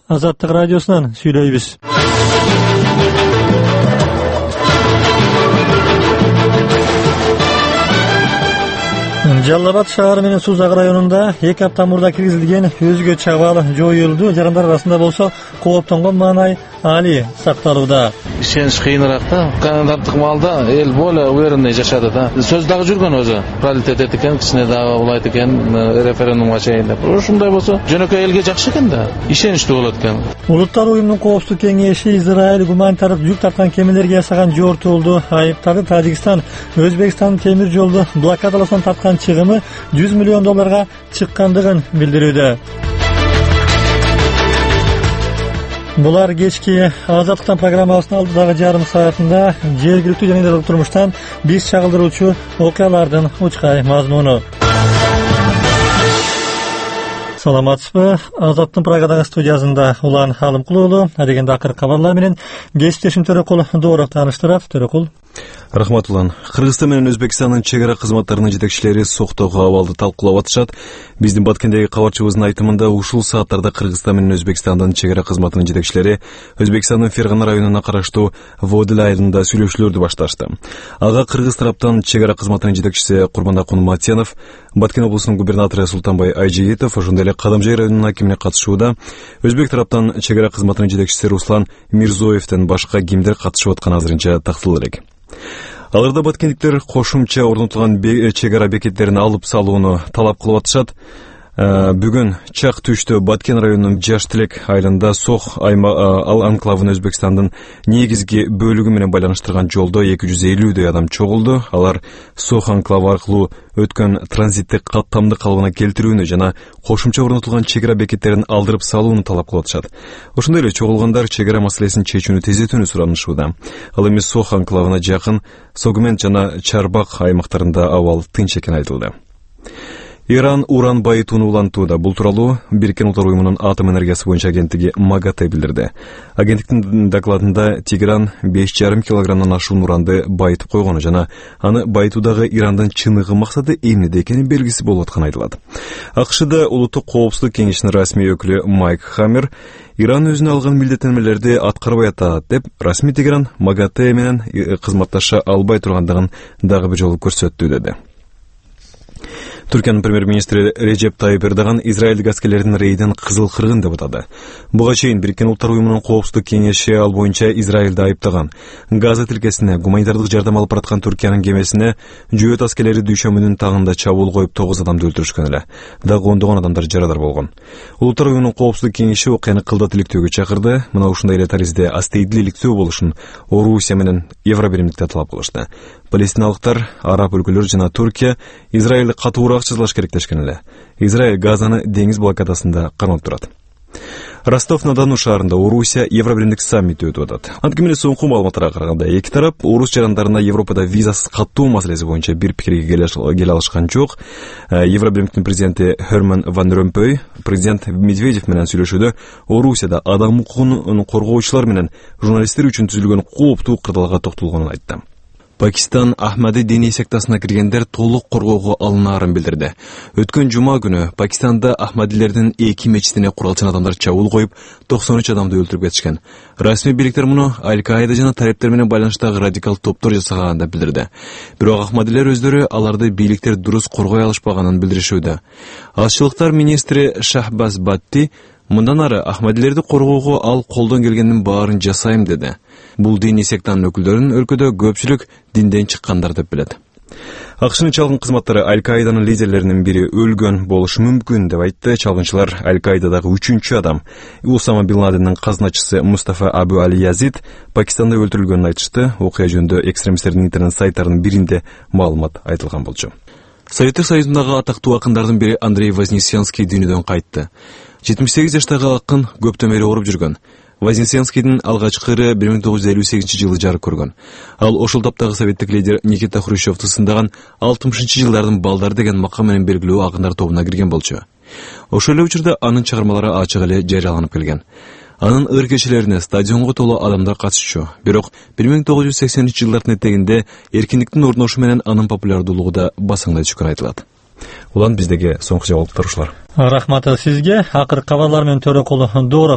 Азаттык радиосунан сүйлөйбүз. Жалал Абад шаары менен Сузак районунда 2 апта мурда киргизилген өзгө чабаал жоюлду. Жарандар арасында болсо кооптонгон маанай али сакталууда. Ишенич кыйыныраак да. Кандидаттык маалда эл более уверенный жашады да. Сөз дагы жүргөн өзү. Паритет экен, кичине дагы улайт экен, референдумга чейин деп. Ушундай болсо жөнөкөй элге жакшы экен да. Ишеничтүү болот экен. Улуттар уюмунун коопсуздук кеңеши Израиль гуманитардык жүк тарткан кемелерге жасаган жортуулду айыптады. Тажикстан Өзбекстан темир жолду блокадаласынан тарткан чыгымы $100 миллион чыккандыгын билдирүүдө. Булар кечки Азаттыктан программасынын алдыдагы жарым саатында жергиликтүү жана турмуштан биз чагылдыруучу окуялардын учкай мазмуну. Саламатсызбы? Азаттын Прагадагы студиясында Улан Алымкулуулу адегенде акыркы кабарлар менен кесиптешим Төрөкул Дооров тааныштырат. Төрөкул. Рахмат Улан. Кыргызстан менен Өзбекстандын чек ара кызматтарынын жетекчилери соктогу абалды талкуулап атышат. Биздин Баткендеги кабарчыбыздын айтымында ушул сааттарда Кыргызстан менен Өзбекстандын чек ара кызматынын жетекчилери Өзбекстандын Фергана районуна караштуу Водил айылында сүйлөшүүлөрдү башташты. Ага кыргыз тараптан чек ара кызматынын жетекчиси Курманакун Матьянов, Баткен облусунун губернатору Султанбай Айжиетов, ошондой эле Кадамжай районунун акимине катышууда. Өзбек тараптан чек ара кызматынын жетекчиси Руслан Мирзоевден башка кимдер катышып атканы азырынча тактылуу элек. Аларда баткендиктер кошумча орнотулган чек ара бекеттерин алып салууну талап кылып атышат. Бүгүн чак түштө Баткен районунун Жаш Тилек айылында Сох анклавын Өзбекстандын негизги бөлүгү менен байланыштырган жолдо 250 адам чогулду. Алар Сох анклавы аркылуу өткөн транзиттик каттамды калыбына келтирүүнү жана кошумча орнотулган чек ара бекеттерин алдырып салууну талап кылып атышат. Ошондой эле чогулгандар чек ара маселесин чечүүнү тездетүүнү суранышууда. Ал эми Сох анклавына жакын Согмент жана Чарбак аймактарында абал тынч экени айтылды. Иран уран байытууну улантууда. Бул тууралуу Бириккен Улуттар уюмунун атом энергиясы боюнча агенттиги МАГАТЭ билдирди. Агенттиктин докладында Тегеран 5,5 килограммдан ашуун уранды байытып койгону жана аны байытуудагы Ирандын чыныгы максаты эмнеде экени белгисиз болуп атканы айтылат. АКШда Улуттук коопсуздук кеңешинин расмий өкүлү Майк Хаммер Иран өзүнө алган милдеттенмелерди аткарбай атат деп, расмий Тегеран МАГАТЭ менен кызматташа албай тургандыгын дагы бир жолу көрсөттү деди. Түркиянын премьер-министри Режеп Тайып Эрдоган израилдик аскерлердин рейдин кызыл кыргын деп атады. Буга чейин Бириккен Улуттар уюмунун коопсуздук кеңеши ал боюнча Израилди айыптаган. Газа тилкесине гуманитардык жардам алып бараткан Түркиянын кемесине жөөт аскерлери дүйшөмүнүн тагында чабуул коюп 9 адамды өлтүрүшкөн эле. Дагы ондогон адамдар жарадар болгон. Улуттар уюмунун коопсуздук кеңеши окуяны кылдат иликтөөгө чакырды. Мына ушундай эле таризде астейдил иликтөө болушун Орусия менен Евробиримдикте талап кылышты. Палестиналыктар, араб өлкөлөр жана Туркия Израилди катуураак жазалаш керектешкен эле. Израиль Газаны деңиз блокадасында кармап турат. Ростов-на-Дону шаарында Орусия Евробиримдик саммити өтүп атат. Анткени соңку маалыматтарга караганда эки тарап орус жарандарына Европада визасыз каттоо маселеси боюнча бир пикирге келе алышкан жок. Евробиримдиктин президенти Херман Ван Ромпой президент Медведев менен сүйлөшүүдө Орусияда адам укугун коргоочулар менен журналисттер үчүн түзүлгөн кооптуу кырдаалга токтолгонун айтты. Пакистан Ахмади диний сектасына киргендер толук коргоого алынаарын билдирди. Өткөн жума күнү Пакистанда Ахмадилердин 2 мечитине куралчан адамдар чабуул коюп, 93 адамды өлтүрүп кетишкен. Расмий бийликтер муну Аль-Каида жана талептер менен байланыштагы радикал топтор жасаганын да билдирди. Бирок Ахмадилер өздөрү аларды бийликтер дурус коргой алышпаганын билдиришүүдө. Азчылыктар министри Шахбаз Батти мындан ары Ахмадилерди коргоого ал колдон келгендин баарын жасайм деди. Бул диний сектанын өкүлдөрүн өлкөдө көпчүлүк динден чыккандар деп билет. АКШнын чалгын кызматтары Аль-Каиданын лидерлеринин бири өлгөн болушу мүмкүн деп айтты. Чалгынчылар Аль-Каидадагы 3-чү адам Усама бин Ладендин казначысы Мустафа Абу Али Язид Пакистанда өлтүрүлгөнүн айтышты. Окуя жөнүндө экстремисттердин интернет сайттарынын биринде маалымат айтылган болчу. Советтик Союзундагы атактуу акындардын бири Андрей Вознесенский дүйнөдөн кайтты. 78 жаштагы акын көптөн бери ооруп жүргөн. Вознесенскийдин алгачкы ыры 1958 жарык көргөн. Ал ошол таптагы советтик лидер Никита Хрущевду сындаган 60-жылдардын балдары деген макам менен белгилүү акындар тобуна кирген болчу. Ошол эле учурда анын чыгармалары ачык эле жарыяланып келген. Анын ыр кечелерине стадионго толуу адамдар катышчу. Бирок 1980-жылдардын этегинде эркиндиктин орношу менен анын популярдуулугу да басаңдай түшкөн айтылат. Улан биздеги соңку жаңылыктар ушулар. Рахмат сизге. Акыркы кабарлар менен Төрөкул Дооров